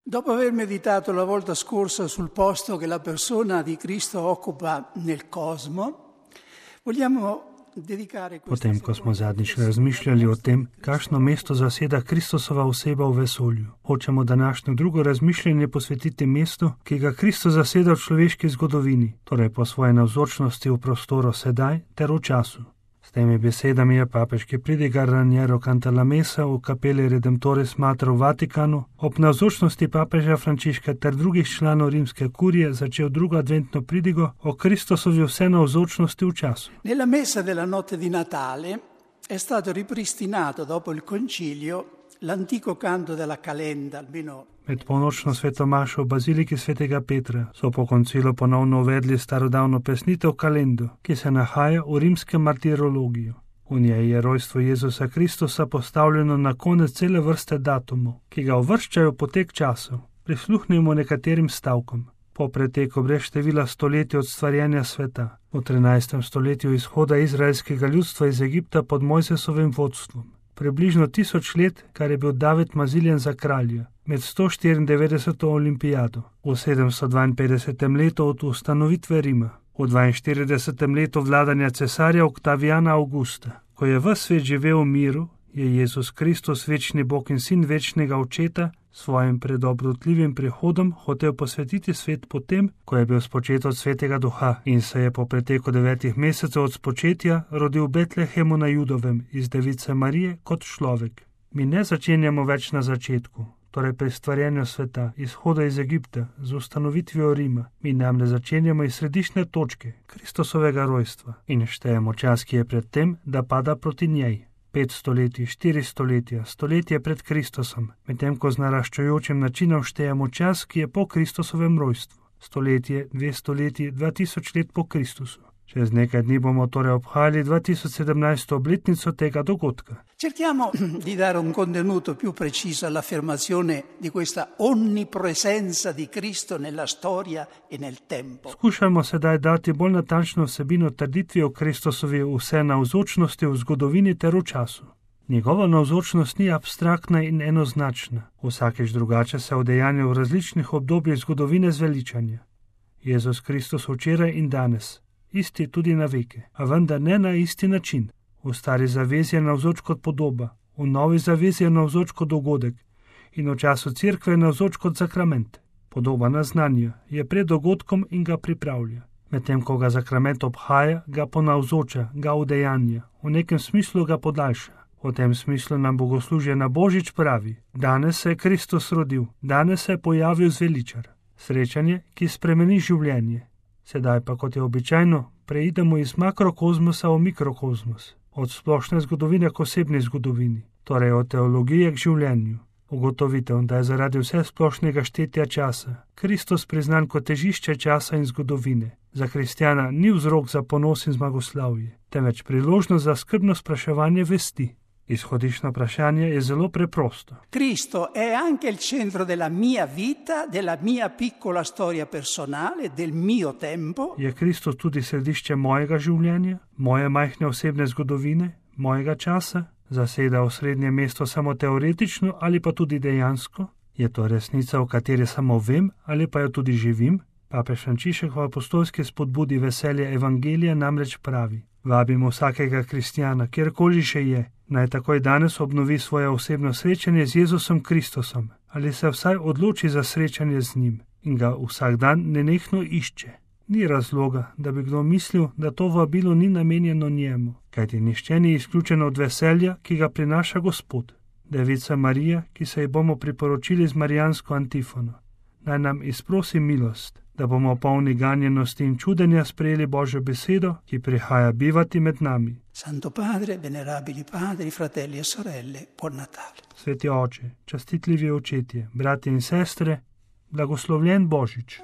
Dopo aver meditato la volta scorsa sul posto che la persona di Cristo occupa nel cosmo, vogliamo dedicare questa Potem, ko smo zadnjič razmišljali o tem, kakšno mesto zaseda Kristusova oseba v vesolju, hočemo današnjo drugo razmišljanje posvetiti mestu, ki ga Kristus zaseda v človeški zgodovini, torej po svoje navzočnosti v prostoru sedaj ter v času. S temi besedami je papeški pridigar Raniero Cantalamessa v kapeli Redemptoris Mater v Vatikanu ob navzočnosti papeža Frančiška ter drugih članov rimske kurije začel drugo adventno pridigo o Kristusovi vsenavzočnosti v času. Nella messa della notte di Natale è stato ripristinato dopo il concilio l'antico canto della calenda, almeno. Med polnočno svetomašo v baziliki svetega Petra so po koncilu ponovno uvedli starodavno pesnitev kalendo, ki se nahaja v rimskem martirologiju. V njej je rojstvo Jezusa Kristusa postavljeno na konec cele vrste datumov, ki ga uvrščajo potek časov. Prisluhnimo nekaterim stavkom. Po preteku brez števila stoletij od stvarjenja sveta, v 13. stoletju izhoda izraelskega ljudstva iz Egipta pod Mojzesovim vodstvom, približno 1000 let, kar je bil David maziljen za kralja, med 194. olimpijado, v 752. letu od ustanovitve Rima, v 42. letu vladanja cesarja Oktavijana Augusta. Ko je ves svet živel v miru, je Jezus Kristus, večni Bog in sin večnega Očeta, svojim predobrotljivim prihodom hotel posvetiti svet potem, ko je bil spočet od Svetega Duha in se je po preteku 9 mesecev od spočetja rodil v Betlehemu na Judovem iz device Marije kot človek. Mi ne začenjamo več na začetku, torej pri stvarjenju sveta, izhoda iz Egipta, z ustanovitvijo Rima. Mi namreč začenjamo iz središčne točke, Kristusovega rojstva, in štejemo čas, ki je pred tem, da pada proti njej. 5 stoletij, 4 stoletja, stoletje pred Kristusom, medtem ko z naraščajočim načinom štejemo čas, ki je po Kristusovem rojstvu. Stoletje, 2 stoletji, 2000 let po Kristusu. Čez nekaj dni bomo torej obhajali 2017. obletnico tega dogodka. Cerchiamo di dare un contenuto più preciso all'affermazione di questa onnipresenza di Cristo nella storia e nel tempo. Skušajmo sedaj dati bolj natančno vsebino trditvi o Kristusovi vsenavzočnosti v zgodovini ter v času. Njegova navzočnost ni abstraktna in enoznačna, vsakeč drugače se udejanja v različnih obdobjih zgodovine zveličanja. Jezus Kristus včeraj in danes, isti tudi na veke, a vendar ne na isti način. V stari zavezi je navzoč kot podoba, v novi zavezi je navzoč kot dogodek in v času cerkve je navzoč kot sakrament. Podoba naznanja je pred dogodkom in ga pripravlja. Medtem ko ga sakrament obhaja, ga ponavzoča, ga udejanja, v nekem smislu ga podaljša. V tem smislu nam bogoslužje na Božič pravi: danes se je Kristus rodil, danes se je pojavil zveličar. Srečanje, ki spremeni življenje. Sedaj pa, kot je običajno, preidemo iz makrokozmosa v mikrokozmos, od splošne zgodovine k osebni zgodovini, torej od teologije k življenju. Ugotovitev, da je zaradi vse splošnega štetja časa Kristus priznan kot težišče časa in zgodovine, za kristjana ni vzrok za ponos in zmagoslavje, temveč priložnost za skrbno spraševanje vesti. Izhodiščno vprašanje je zelo preprosto. Cristo è anche il centro della mia vita, della mia piccola storia personale, del mio tempo. Je Kristus tudi središče mojega življenja, moje majhne osebne zgodovine, mojega časa? Zaseda osrednje mesto samo teoretično ali pa tudi dejansko? Je to resnica, o kateri samo vem ali pa jo tudi živim? Papež Frančišek v apostolski spodbudi veselja evangelija namreč pravi: vabimo vsakega kristjana, kjerkoli še je, naj takoj danes obnovi svoje osebno srečanje z Jezusom Kristusom ali se vsaj odloči za srečanje z njim in ga vsak dan nenehno išče. Ni razloga, da bi kdo mislil, da to vabilo ni namenjeno njemu, kajti nihče ni izključen od veselja, ki ga prinaša Gospod. Devica Marija, ki se ji bomo priporočili z marijansko antifono, naj nam izprosi milost, da bomo polni ganjenosti in čudenja sprejeli Božjo besedo, ki prihaja bivati med nami. Santo Padre, venerabili padri, fratelli e sorelle, buon Natale. Sveti oče, častitljivi očetje, bratje in sestre, blagoslovljen Božič.